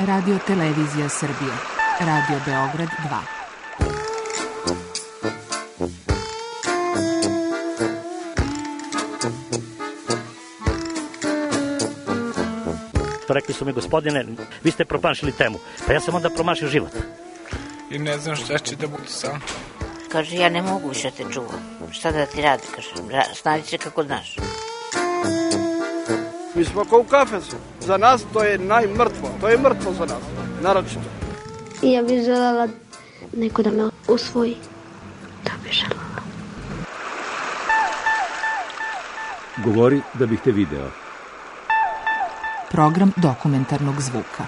Radio Televizija Srbije. Radio Beograd 2. Rekli su mi, gospodine, vi ste promašili temu. Pa ja sam onda promašio život. I ne znam šta će da bude sam. Kaže, ja ne mogu više te čuvam. Šta da ti radi, kaže, snađi se kako znaš. Mi smo kao u kafesu. Za nas to je najmrtvo. To je mrtvo za nas, naročito. I ja bih želela neko da me usvoji. To bih želela. Govori da bih te video. Program dokumentarnog zvuka.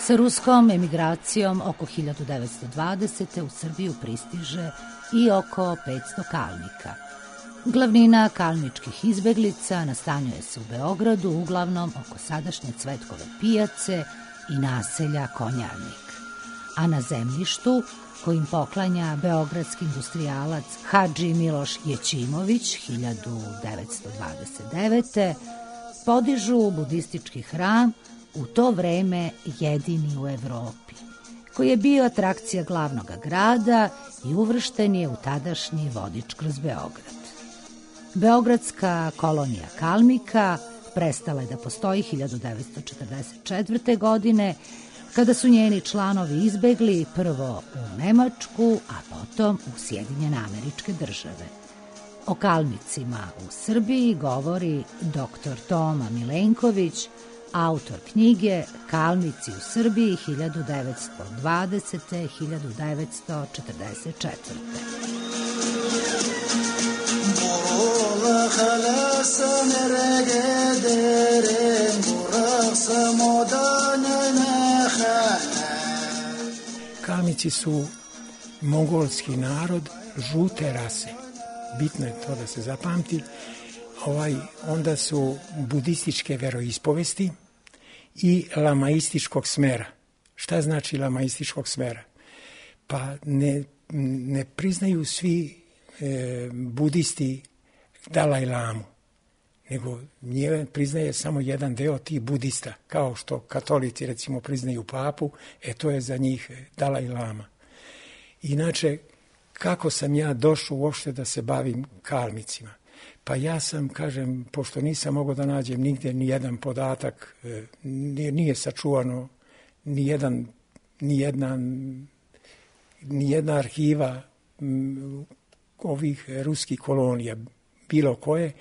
Sa ruskom emigracijom oko 1920. u Srbiju pristiže i oko 500 kalnika. Glavnina kalničkih izbeglica nastanjuje se u Beogradu, uglavnom oko sadašnje Cvetkove pijace i naselja Konjarnik. A na zemljištu, kojim poklanja beogradski industrijalac Hadži Miloš Jećimović 1929. podižu budistički hram, u to vreme jedini u Evropi, koji je bio atrakcija glavnog grada i uvršten je u tadašnji vodič kroz Beograd. Beogradska kolonija kalmika prestala je da postoji 1944. godine, kada su njeni članovi izbegli prvo u Nemačku, a potom u Sjedinjene Američke Države. O kalmicima u Srbiji govori dr. Toma Milenković, autor knjige Kalmici u Srbiji 1920-1944. Kalmici su mongolski narod žute rase. Bitno je to da se zapamti. Onda su budističke veroispovesti i lamaističkog smera. Šta znači lamaističkog smera? Pa ne priznaju svi budisti Dalaj Lamu, nego nje priznaje samo jedan deo tih budista, kao što katolici recimo priznaju papu, to je za njih Dalaj Lama. Inače, kako sam ja došao uopšte da se bavim kalmicima? Pa ja sam, kažem, pošto nisam mogao da nađem nigde ni jedan podatak, nije sačuvano ni jedna arhiva ovih ruskih kolonija, bilo koje,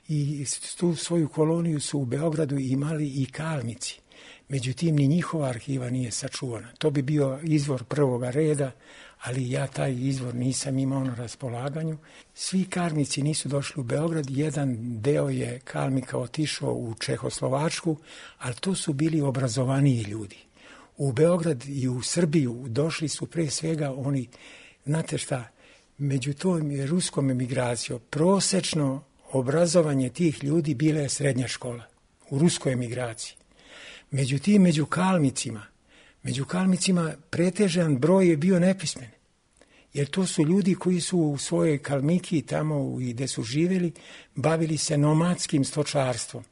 i tu svoju koloniju su u Beogradu imali i kalmici. Međutim, ni njihova arhiva nije sačuvana. To bi bio izvor prvoga reda, ali ja taj izvor nisam imao na raspolaganju. Svi kalmici nisu došli u Beograd, jedan deo je kalmika otišao u Čehoslovačku, ali to su bili obrazovaniji ljudi. U Beograd i u Srbiju došli su pre svega oni, znate šta, među tom ruskom emigracijom, prosečno obrazovanje tih ljudi bila je srednja škola u ruskoj emigraciji. Međutim, među kalmicima pretežan broj je bio nepismen. Jer to su ljudi koji su u svojoj Kalmiki, tamo i gde su živjeli, bavili se nomadskim stočarstvom.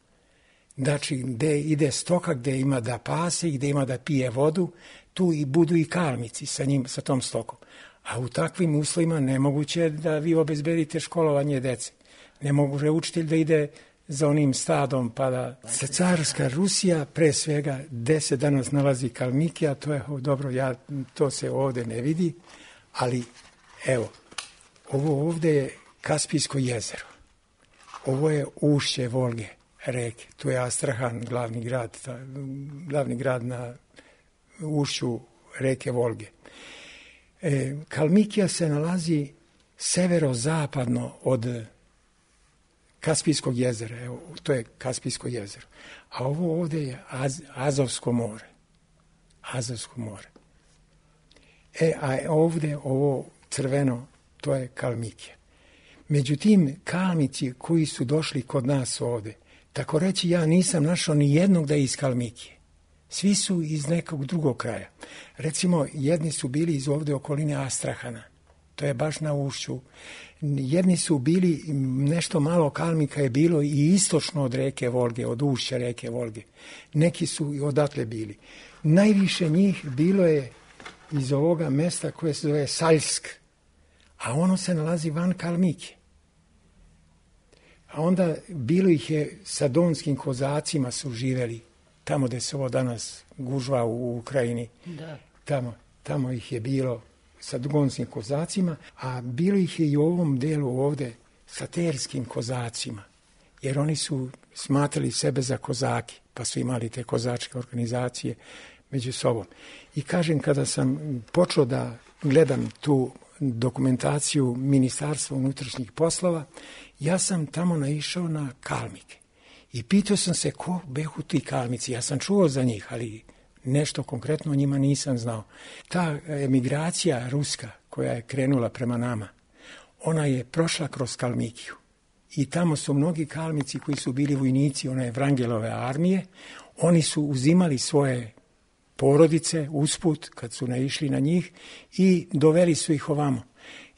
Znači, gde ide stoka, gde ima da pase i gde ima da pije vodu, tu i budu i kalmici sa tom stokom. A u takvim uslovima nemoguće da vi obezbedite školovanje dece. Ne može učitelj da ide za onim stadom, pa da se carska Rusija, pre svega, gde se danas nalazi Kalmikija, to je dobro, to se ovde ne vidi, ali evo, ovo ovde je Kaspijsko jezero, ovo je ušće Volge, reke, tu je Astrahan, glavni grad na ušću reke Volge. Kalmikija se nalazi severozapadno od Kaspijskog jezera, evo, to je Kaspijsko jezero. A ovo ovde je Azovsko more. A ovde ovo crveno, to je Kalmikija. Međutim, Kalmici koji su došli kod nas ovde, tako reći, ja nisam našao ni jednog da je iz Kalmikije. Svi su iz nekog drugog kraja. Recimo, jedni su bili iz ovde okoline Astrahana. To je baš na ušću. Jedni su bili, nešto malo Kalmika je bilo i istočno od reke Volge, od ušća reke Volge. Neki su i odatle bili. Najviše njih bilo je iz ovoga mesta koje se zove Saljsk, a ono se nalazi van Kalmike. A onda bilo ih je sa donskim kozacima su živeli, tamo gde se ovo danas gužva u Ukrajini. Da. Tamo ih je bilo sa donskim kozacima, a bilo ih je i u ovom delu ovde sa terskim kozacima, jer oni su smatrali sebe za kozaki, pa su imali te kozačke organizacije među sobom. I kažem, kada sam počeo da gledam tu dokumentaciju Ministarstva unutrašnjih poslova, ja sam tamo naišao na Kalmike. I pitao sam se ko behu ti Kalmici. Ja sam čuo za njih, ali nešto konkretno o njima nisam znao. Ta emigracija ruska koja je krenula prema nama, ona je prošla kroz Kalmikiju. I tamo su mnogi Kalmici koji su bili vojnici one Vrangelove armije, oni su uzimali svoje porodice usput kad su naišli na njih i doveli su ih ovamo.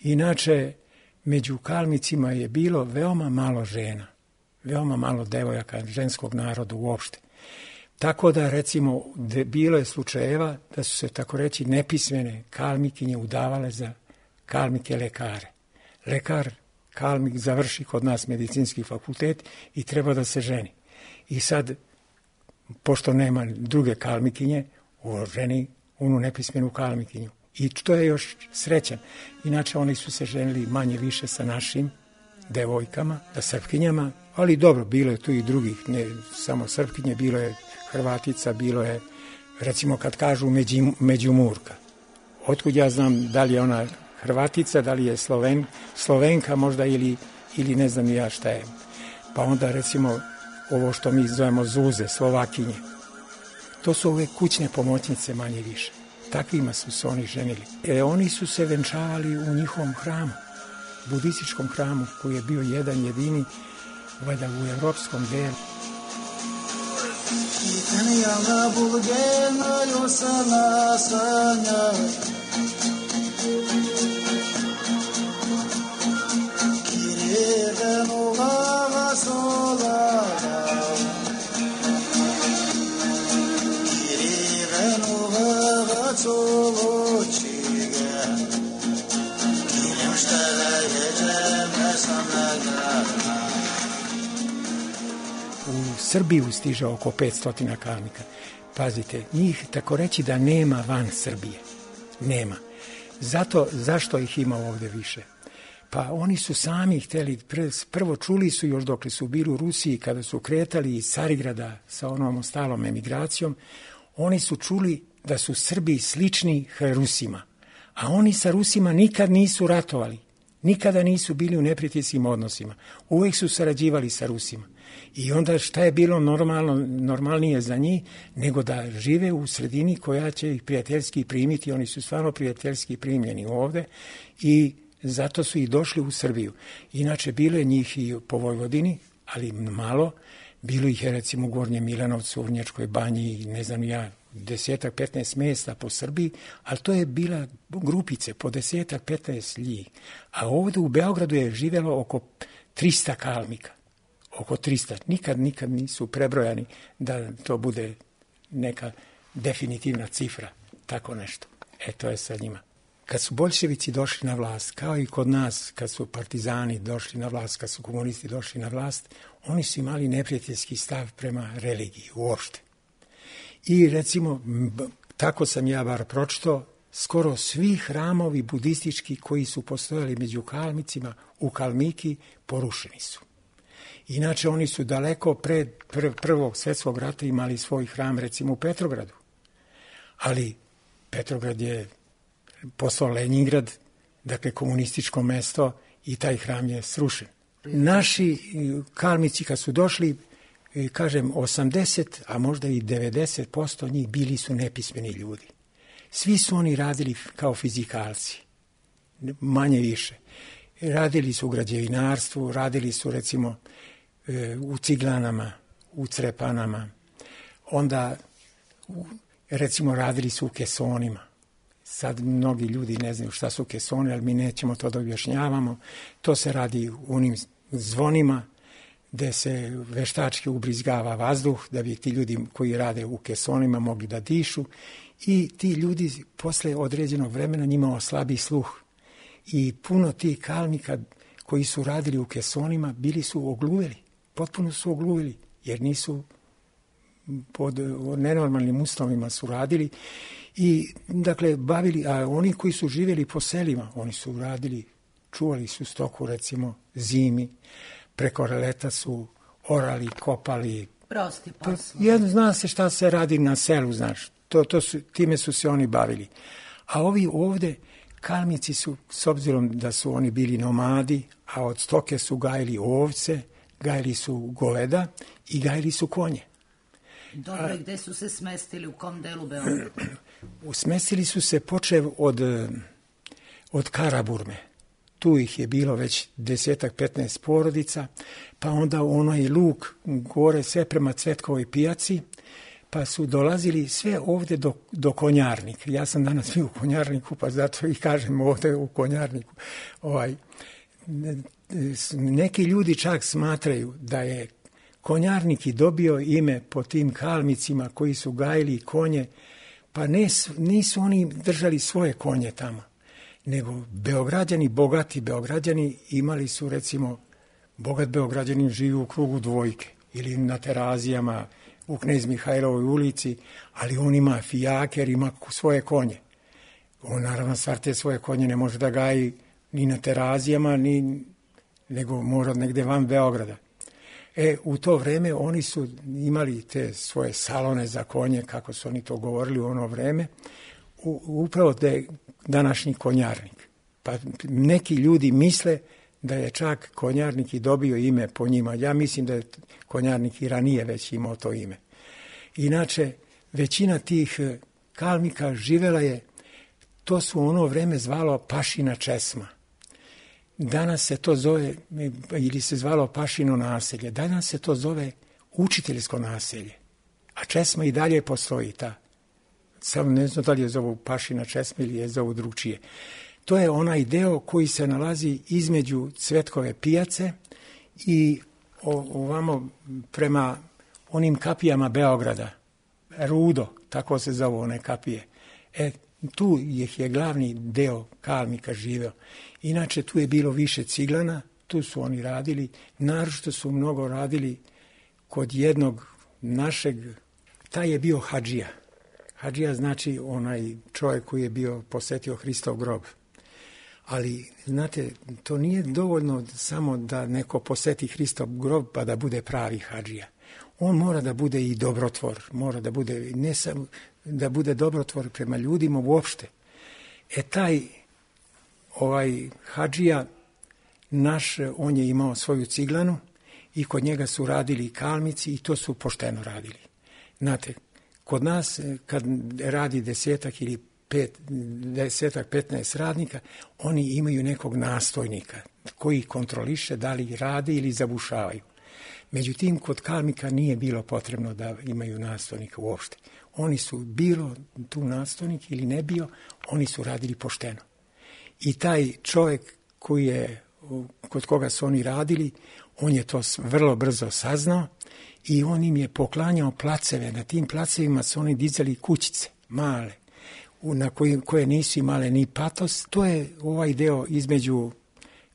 Inače, među Kalmicima je bilo veoma malo žena, veoma malo devojaka, ženskog naroda uopšte. Tako da, recimo, bilo je slučajeva da su se, tako reći, nepismene Kalmikinje udavale za Kalmike lekare. Lekar Kalmik završi kod nas medicinski fakultet i treba da se ženi. I sad, pošto nema druge Kalmikinje, ženi onu nepismenu Kalmikinju. I to je još srećan. Inače, oni su se ženili manje više sa našim devojkama, da Srpkinjama, ali dobro, bilo je tu i drugih, ne samo Srpkinje, bilo je Hrvatica, bilo je, recimo kad kažu Međumurka. Otkud ja znam da li je ona Hrvatica, da li je Slovenka možda ili ne znam ja šta je. Pa onda recimo ovo što mi zovemo Zuze, Slovakinje. To su ove kućne pomoćnice manje više. Takvima su se oni ženili. Oni su se venčavali u njihovom hramu, budističkom hramu koji je bio jedan jedini, valjda u evropskom delu. U Srbiju stiže oko 500 Kalmika. Pazite, njih tako reći da nema van Srbije. Nema. Zašto ih ima ovde više? Pa oni su sami hteli, prvo čuli su još dok su bili u Rusiji, kada su kretali iz Carigrada sa onom ostalom emigracijom, oni su čuli da su Srbi slični Rusima. A oni sa Rusima nikad nisu ratovali. Nikada nisu bili u neprijateljskim odnosima. Uvijek su sarađivali sa Rusima. I onda šta je bilo normalnije za njih nego da žive u sredini koja će ih prijateljski primiti. Oni su stvarno prijateljski primljeni ovde i zato su i došli u Srbiju. Inače, bilo je njih i po Vojvodini, ali malo. Bilo ih je recimo u Gornjem Milanovcu, u Vrnjačkoj banji, ne znam ja, 10-15 mjesta po Srbiji, ali to je bila grupice po 10-15 njih. A ovdje u Beogradu je živjelo oko 300 Kalmika. Oko 300. Nikad nisu prebrojani da to bude neka definitivna cifra. Tako nešto. To je sa njima. Kad su boljševici došli na vlast, kao i kod nas, kad su partizani došli na vlast, kad su komunisti došli na vlast, oni su imali neprijateljski stav prema religiji uopšte. I recimo, tako sam ja bar pročitao, skoro svi hramovi budistički koji su postojali među Kalmicima u Kalmiki porušeni su. Inače, oni su daleko pred Prvog svjetskog rata imali svoj hram, recimo u Petrogradu. Ali Petrograd je postao Leningrad, dakle komunističko mesto, i taj hram je srušen. Naši Kalmici kad su došli, kažem 80, a možda i 90% njih bili su nepismeni ljudi. Svi su oni radili kao fizikalci, manje više. Radili su u građevinarstvu, radili su recimo u ciglanama, u crepanama, onda recimo radili su u kesonima. Sad mnogi ljudi ne znaju šta su kesoni, ali mi nećemo to da objašnjavamo. To se radi u onim zvonima gde se veštački ubrizgava vazduh, da bi ti ljudi koji rade u kesonima mogli da dišu, i ti ljudi posle određenog vremena njima oslabi sluh. I puno tih kalmika koji su radili u kesonima bili su ogluveli, potpuno su ogluveli, jer nisu pod nenormalnim uslovima su radili. I dakle bavili, a oni koji su živjeli po selima, oni su radili, čuvali su stoku recimo zimi, preko leta su orali, kopali. Prosti posao. Zna se šta se radi na selu, znaš, time su se oni bavili. A ovi ovde kalmici su, s obzirom da su oni bili nomadi, a od stoke su gajili ovce, gajili su goveda i gajili su konje. Dobro, gde su se smestili, u kom delu Beograda? Smestili su se počev od Karaburme. Tu ih je bilo već 10-15 porodica, pa onda onaj luk gore sve prema Cvetkovoj pijaci, pa su dolazili sve ovde do Konjarnika. Ja sam danas bio u Konjarniku, pa zato i kažem ovde u Konjarniku. Neki ljudi čak smatraju da je Konjarnik i dobio ime po tim kalmicima koji su gajili konje, pa nisu oni držali svoje konje tamo, nego Beograđani, bogati Beograđani imali su, recimo, bogat Beograđanin živi u krugu Dvojke ili na Terazijama u Knez Mihajlovoj ulici, ali on ima fijaker, ima svoje konje. On naravno stvar te svoje konje ne može da gaji ni na Terazijama, nego mora negde van Beograda. U to vreme oni su imali te svoje salone za konje, kako su oni to govorili u ono vreme, upravo da je današnji Konjarnik. Pa neki ljudi misle da je čak Konjarnik i dobio ime po njima. Ja mislim da je Konjarnik i ranije već imao to ime. Inače, većina tih kalmika živela je, to su ono vreme zvalo Pašina česma. Danas se to zove, ili se zvalo Pašino naselje, danas se to zove učiteljsko naselje. A česma i dalje postoji ta. Samo ne znam da li je zovu Pašina česma ili je zovu drugčije. To je onaj deo koji se nalazi između Cvetkove pijace i ovamo prema onim kapijama Beograda. Rudo, tako se zovu one kapije. Tu je glavni deo kalmika živeo. Inače, tu je bilo više ciglana, tu su oni radili. Naročito su mnogo radili kod jednog našeg, taj je bio hadžija. Hadžija znači onaj čovjek koji je bio posetio Hristov grob. Ali, znate, to nije dovoljno samo da neko poseti Hristov grob pa da bude pravi hadžija. On mora da bude i dobrotvor, mora da bude, ne samo da bude dobrotvor prema ljudima uopšte. Taj hadžija naš, on je imao svoju ciglanu i kod njega su radili kalmici i to su pošteno radili. Znate, kod nas kad radi 10 ili 15 radnika, oni imaju nekog nastojnika koji kontroliše da li rade ili zabušavaju. Međutim, kod kalmika nije bilo potrebno da imaju nastojnika uopšte. Oni su, bilo tu nastojnik ili ne bio, oni su radili pošteno. I taj čovjek kod koga su oni radili, on je to vrlo brzo saznao i on im je poklanjao placeve. Na tim placevima su oni dizali kućice, male, na koje nisu imale ni patos. To je ovaj deo između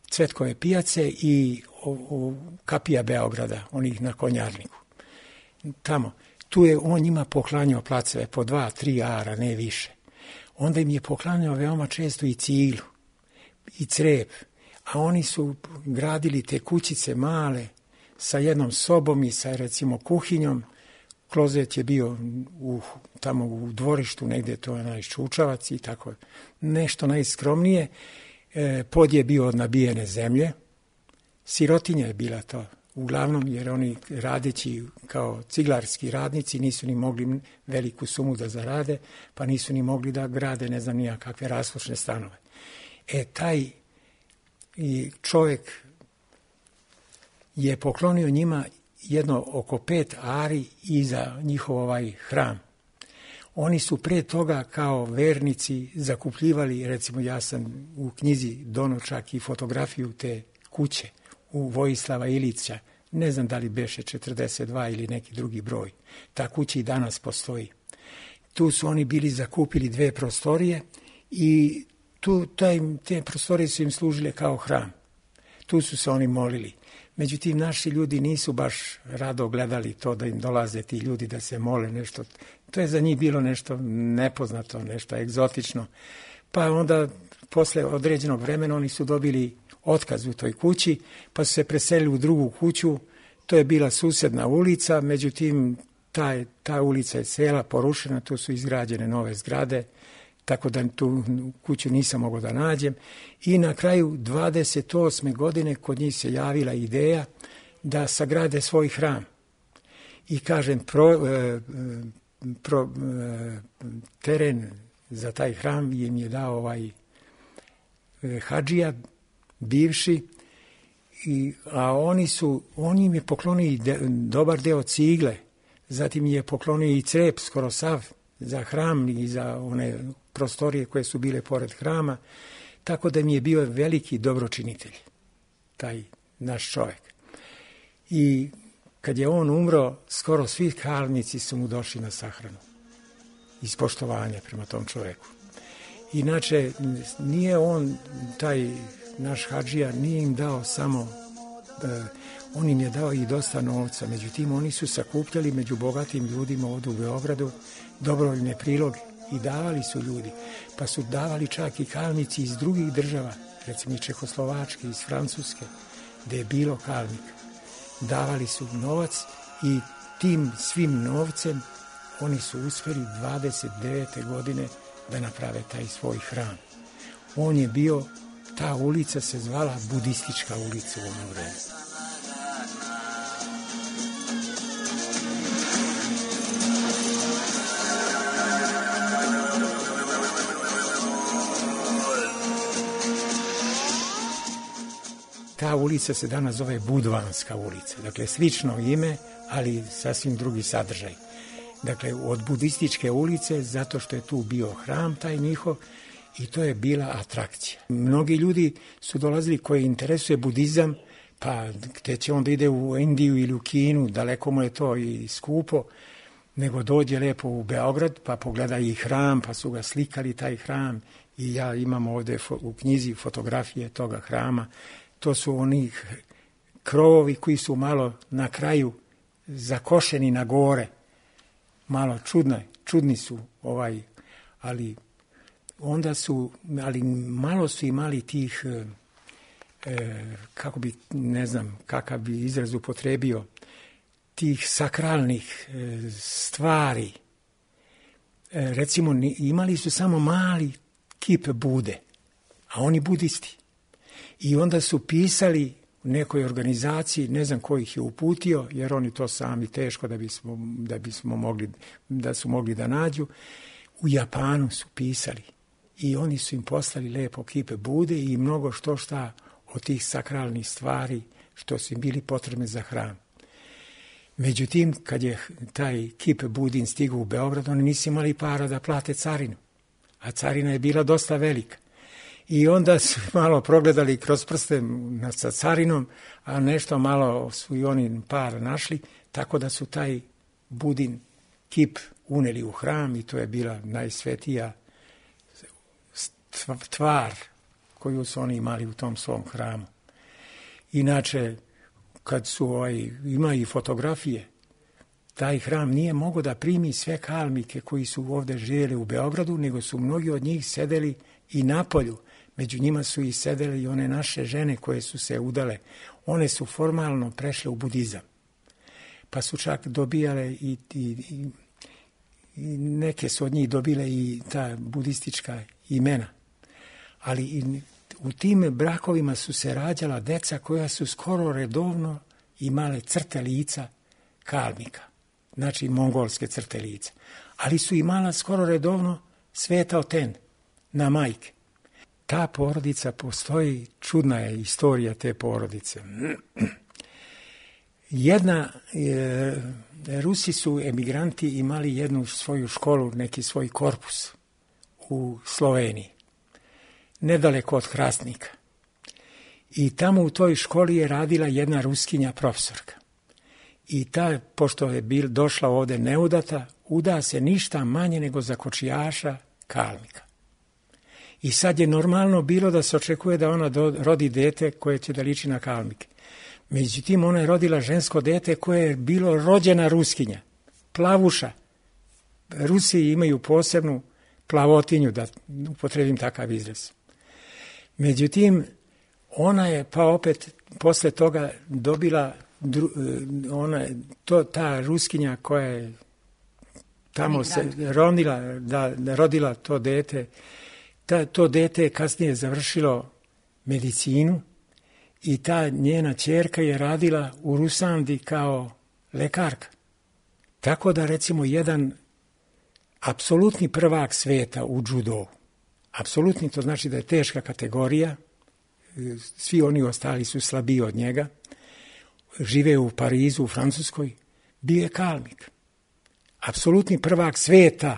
Cvetkove pijace i kapija Beograda, onih na Konjarniku. Tamo. Tu je on njima poklanjao placeve po 2-3 ara, ne više. Onda im je poklanjao veoma često i ciglu, i crep, a oni su gradili te kućice male sa jednom sobom i sa, recimo, kuhinjom. Klozet je bio tamo u dvorištu, negde to je najščučavac i tako, nešto najskromnije. Pod je bio od nabijene zemlje, sirotinja je bila to, uglavnom, jer oni radeći kao ciglarski radnici nisu ni mogli veliku sumu da zarade, pa nisu ni mogli da grade ne znam nija kakve raslušne stanove. Taj i čovjek je poklonio njima jedno oko 5 ari iza njihov hram. Oni su pre toga kao vernici zakupljivali, recimo ja sam u knjizi donio čak i fotografiju te kuće u Vojislava Ilića, ne znam da li beše 42 ili neki drugi broj. Ta kuća i danas postoji. Tu su oni bili zakupili 2 prostorije i te prostorije su im služile kao hram. Tu su se oni molili. Međutim, naši ljudi nisu baš rado gledali to da im dolaze ti ljudi da se mole nešto. To je za njih bilo nešto nepoznato, nešto egzotično. Pa onda, posle određenog vremena, oni su dobili otkaz u toj kući, pa su se preselili u drugu kuću. To je bila susedna ulica, međutim, ta ulica je cela porušena, tu su izgrađene nove zgrade, tako da tu kuću nisam mogao da nađem. I na kraju 28. godine kod njih se javila ideja da sagrade svoj hram. I kažem, teren za taj hram im je dao hadžija, bivši, a oni im je poklonili dobar deo cigle, zatim je poklonio i crep skoro sav za hram i za one prostorije koje su bile pored hrama, tako da mi je bio veliki dobročinitelj, taj naš čovjek. I kad je on umro, skoro svi kalnici su mu došli na sahranu, iz poštovanja prema tom čovjeku. Inače, nije on, taj naš hadžija, nije im dao samo, on im je dao i dosta novca, međutim, oni su sakupljali među bogatim ljudima ovdje u Beogradu dobrovoljne priloge i davali su ljudi, pa su davali čak i kalnici iz drugih država, recimo i Čehoslovačke, iz Francuske, gdje je bilo kalnika. Davali su novac i tim svim novcem oni su uspjeli 29. godine da naprave taj svoj hram. On je bio, ta ulica se zvala Budistička ulica u ono vreme. Ta ulica se danas zove Budvanska ulica, dakle slično ime, ali sasvim drugi sadržaj. Dakle, od Budističke ulice, zato što je tu bio hram taj njihov i to je bila atrakcija. Mnogi ljudi su dolazili koji interesuje budizam, pa gde će onda ide u Indiju ili u Kinu, daleko mu je to i skupo, nego dođe lepo u Beograd, pa pogleda i hram, pa su ga slikali taj hram i ja imam ovdje u knjizi fotografije toga hrama. To su oni krovovi koji su malo na kraju zakošeni na gore, malo čudni su ali onda su, ali malo su imali tih, kako bi, ne znam, kakav bi izraz upotrebio, tih sakralnih stvari. Recimo, imali su samo mali kip Bude, a oni budisti. I onda su pisali u nekoj organizaciji, ne znam ko ih je uputio, jer oni to sami teško da su mogli da nađu. U Japanu su pisali i oni su im poslali lepo kipe Bude i mnogo šta od tih sakralnih stvari što su im bili potrebne za hram. Međutim, kad je taj kip Budin stigao u Beograd, oni nisu imali para da plate carinu, a carina je bila dosta velika. I onda su malo progledali kroz prste sa carinom, a nešto malo su i oni par našli, tako da su taj Budin kip uneli u hram i to je bila najsvetija tvar koju su oni imali u tom svom hramu. Inače, kad su ima i fotografije, taj hram nije mogao da primi sve kalmike koji su ovdje živjeli u Beogradu, nego su mnogi od njih sedeli i napolju. Među njima su i sedele i one naše žene koje su se udale. One su formalno prešle u budizam. Pa su čak dobijale i neke su od njih dobile i ta budistička imena. Ali i u tim brakovima su se rađala deca koja su skoro redovno imale crte lica kalmika. Znači mongolske crte lica. Ali su imala skoro redovno Sveta Oten na majke. ta porodica postoji, čudna je istorija te porodice. Rusi su emigranti imali jednu svoju školu, neki svoj korpus u Sloveniji, nedaleko od Hrastnika. I tamo u toj školi je radila jedna Ruskinja profesorka. I ta, pošto je došla ovde neudata, uda se ništa manje nego za kočijaša Kalmika. I sad je normalno bilo da se očekuje da ona rodi dete koje će da liči na Kalmike. Međutim, ona je rodila žensko dete koje je bilo rođena Ruskinja, plavuša. Rusi imaju posebnu plavotinju, da upotrebim takav izraz. Međutim, ona je pa opet posle toga dobila, ta Ruskinja koja je tamo se rodila to dete, to dete je kasnije završilo medicinu i ta njena ćerka je radila u Rusandi kao lekarka. Tako da recimo jedan apsolutni prvak sveta u džudovu, apsolutni to znači da je teška kategorija, svi oni ostali su slabiji od njega, žive u Parizu, u Francuskoj, bio je Kalmik. Apsolutni prvak sveta,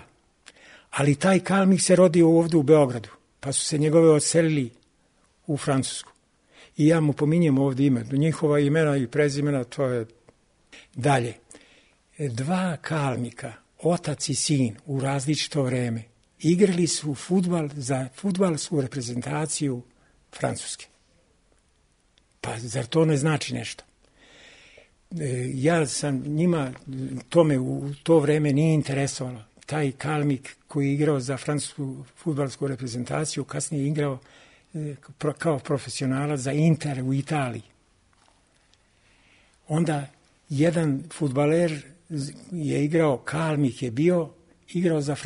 ali taj Kalmik se rodio ovdje u Beogradu, pa su se njegove odselili u Francusku. I ja mu pominjem ovdje ime, njihova imena i prezimena, to je dalje. Dva Kalmika, otac i sin, u različito vreme, igrali su fudbal za fudbalsku reprezentaciju Francuske. Pa zar to ne znači nešto? Ja sam njima, to me u to vreme nije interesovalo. Taj Kalmik koji je igrao za francusku fudbalsku reprezentaciju, kasnije je igrao kao profesionalac za Inter u Italiji. Onda jedan fudbaler je igrao, Kalmik je igrao za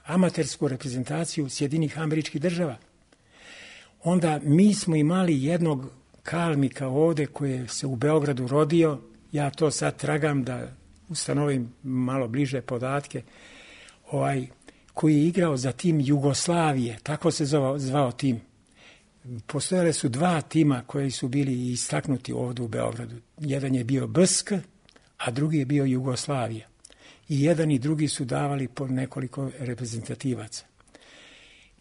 amatersku reprezentaciju Sjedinjenih Američkih Država. Onda mi smo imali jednog Kalmika ovde koji se u Beogradu rodio, ja to sad tragam da ustanovim malo bliže podatke, koji je igrao za tim Jugoslavije, tako se zvao tim. Postojale su dva tima koji su bili istaknuti ovdje u Beogradu. Jedan je bio BSK, a drugi je bio Jugoslavija. I jedan i drugi su davali po nekoliko reprezentativaca.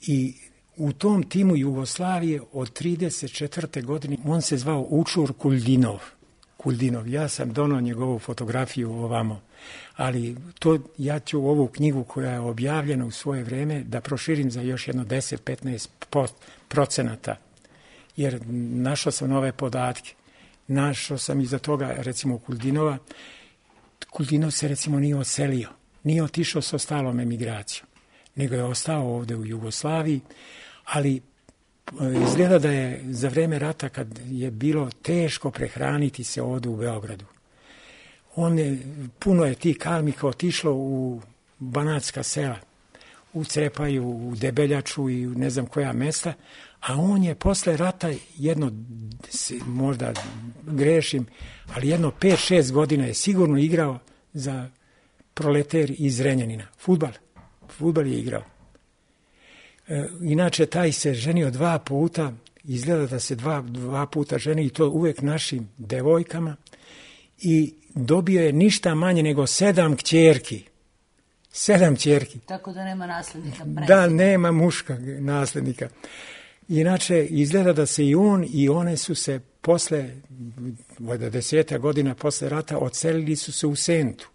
I u tom timu Jugoslavije od 34. godine on se zvao Učur Kuldinov. Ja sam donao njegovu fotografiju ovamo, ali ja ću ovu knjigu koja je objavljena u svoje vreme da proširim za još jedno 10-15%, jer našao sam nove podatke. Našao sam iza toga recimo Kuldinova. Kuldinov se recimo nije odselio, nije otišao sa ostalom emigracijom, nego je ostao ovdje u Jugoslaviji, ali izgleda da je za vreme rata, kad je bilo teško prehraniti se ovdje u Beogradu, puno je tih Kalmika otišlo u banatska sela, u Crepaju, u Debeljaču i ne znam koja mesta, a on je posle rata možda grešim, ali jedno 5-6 godina je sigurno igrao za Proleter iz Zrenjanina. Fudbal je igrao. Inače, taj se ženio 2 puta, izgleda da se dva puta ženi i to uvek našim devojkama i dobio je ništa manje nego 7 kćerki. 7 kćerki. Tako da nema naslednika. Da, nema muška naslednika. Inače, izgleda da se i on i one su se posle, 10 godina posle rata, odselili su se u Sentu.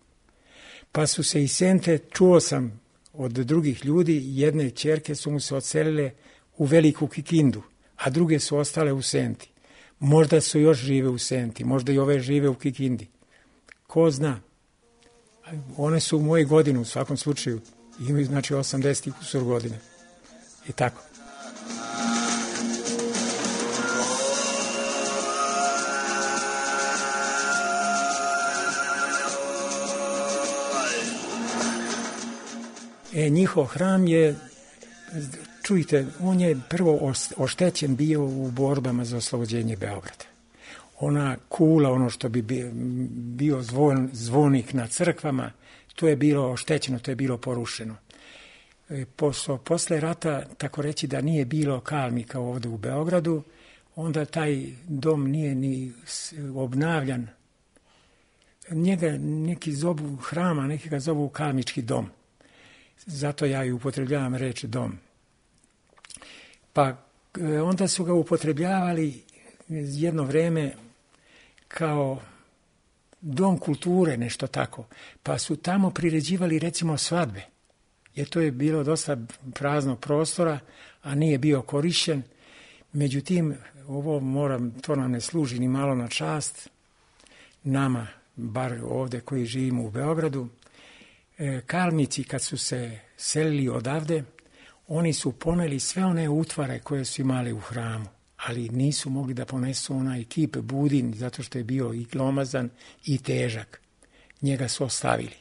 Pa su se iz Sente, čuo sam od drugih ljudi, jedne ćerke su mu se odselile u Veliku Kikindu, a druge su ostale u Senti. Možda su još žive u Senti, možda i ove žive u Kikindi. Ko zna? One su u moje godine u svakom slučaju. Imaju znači 80 kusur godine. I tako. Njihov hram je, čujte, on je prvo oštećen bio u borbama za oslobođenje Beograda. Ona kula, ono što bi bio zvonik na crkvama, to je bilo oštećeno, to je bilo porušeno. Posle rata, tako reći da nije bilo kalmika ovde u Beogradu, onda taj dom nije ni obnavljan. Njega neki zovu hrama, neki ga zovu kalmički dom. Zato ja i upotrebljavam reč dom. Pa onda su ga upotrebljavali jedno vreme kao dom kulture, nešto tako. Pa su tamo priređivali recimo svadbe. Jer to je bilo dosta praznog prostora, a nije bio korišćen. Međutim, to nam ne služi ni malo na čast. Nama, bar ovde koji živimo u Beogradu, kalmici kad su se selili odavde, oni su poneli sve one utvare koje su imali u hramu, ali nisu mogli da ponesu onaj kip budin, zato što je bio i glomazan i težak. Njega su ostavili.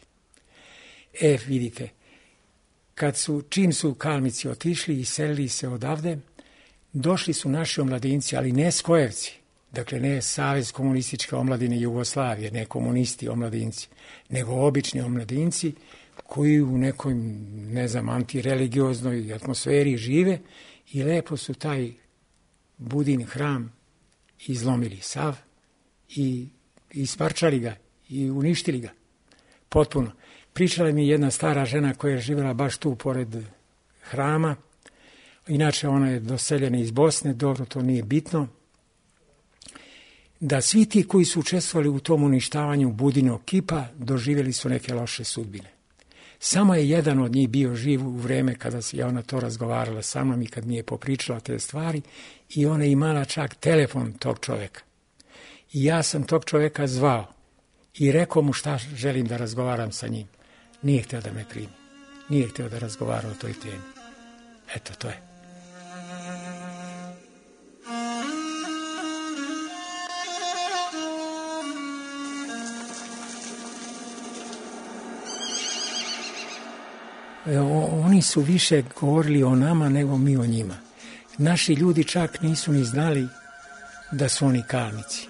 Vidite, čim su kalmici otišli i selili se odavde, došli su naši omladinci, ali ne skojevci, dakle ne Savez komunističke omladine Jugoslavije, ne komunisti omladinci, nego obični omladinci koji u nekoj, antirelигioзнoj atmosferi žive i lepo su taj budin hram izlomili sav i isparčali ga i uništili ga potpuno. Pričala mi jedna stara žena koja je živjela baš tu pored hrama, inače ona je doseljena iz Bosne, dobro, to nije bitno, da svi ti koji su učestvovali u tom uništavanju budinog kipa doživjeli su neke loše sudbine. Samo je jedan od njih bio živ u vreme kada je ona to razgovarala sa mnom i kad mi je popričala te stvari i ona je imala čak telefon tog čoveka. I ja sam tog čoveka zvao i rekao mu šta želim da razgovaram sa njim. Nije hteo da me primi. Nije hteo da razgovara o toj temi. Eto, to je. Oni su više govorili o nama nego mi o njima. Naši ljudi čak nisu ni znali da su oni kalmici.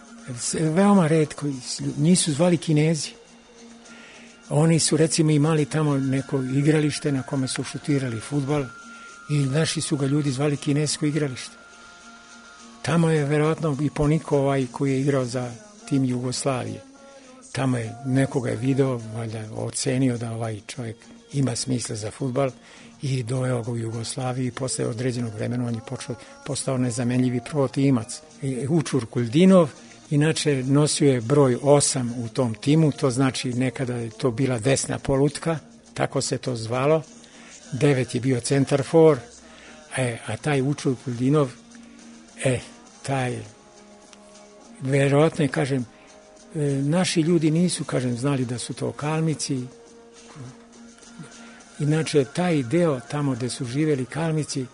Veoma retko, njih su zvali Kinezi. Oni su recimo imali tamo neko igralište na kome su šutirali fudbal i naši su ga ljudi zvali kinesko igralište. Tamo je verovatno i Poniko koji je igrao za tim Jugoslavije. Tamo je nekoga je video, valjda ocenio da ovaj čovjek ima smisla za fudbal i doveo ga u Jugoslaviju i posle određenog vremena on je postao nezamenljivi protimac. Učur Kuldinov, inače nosio je broj 8 u tom timu, to znači nekada je to bila desna polutka, tako se to zvalo, 9 je bio centar for, a taj Učur Kuldinov, taj, verovatno je, kažem, naši ljudi nisu, znali da su to kalmici. Inače, taj deo tamo gde su živjeli kalmici,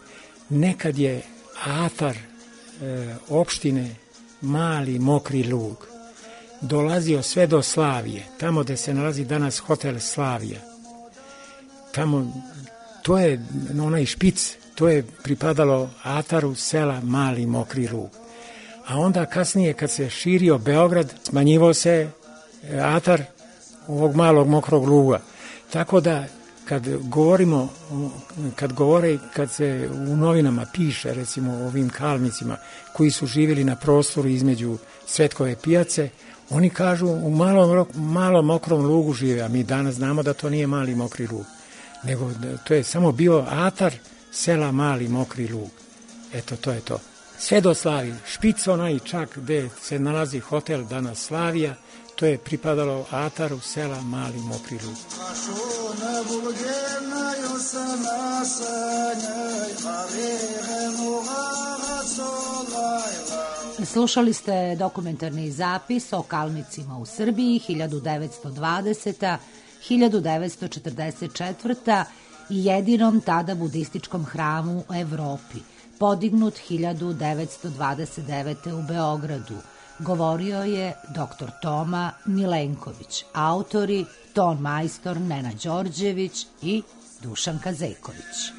nekad je atar opštine Mali Mokri Lug dolazio sve do Slavije, tamo gde se nalazi danas hotel Slavija. Tamo, to je onaj špic, to je pripadalo ataru sela Mali Mokri Lug. A onda kasnije, kad se širio Beograd, smanjivao se atar ovog Malog Mokrog Luga. Tako da, kad se u novinama piše, recimo o ovim kalmicima koji su živjeli na prostoru između Cvetkove pijace, oni kažu u Malom Mokrom Lugu žive, a mi danas znamo da to nije Mali Mokri Lug, nego to je samo bio atar sela Mali Mokri Lug. Eto, to je to. Sve do Slavije, špic onaj čak gde se nalazi hotel danas Slavija, to je pripadalo ataru sela Mali Mokri Lug. Slušali ste dokumentarni zapis o kalmicima u Srbiji 1920. 1944. i jedinom tada budističkom hramu u Evropi, podignut 1929. u Beogradu. Govorio je dr. Toma Milenković, autori ton majstor Nena Đorđević i Dušanka Zejković.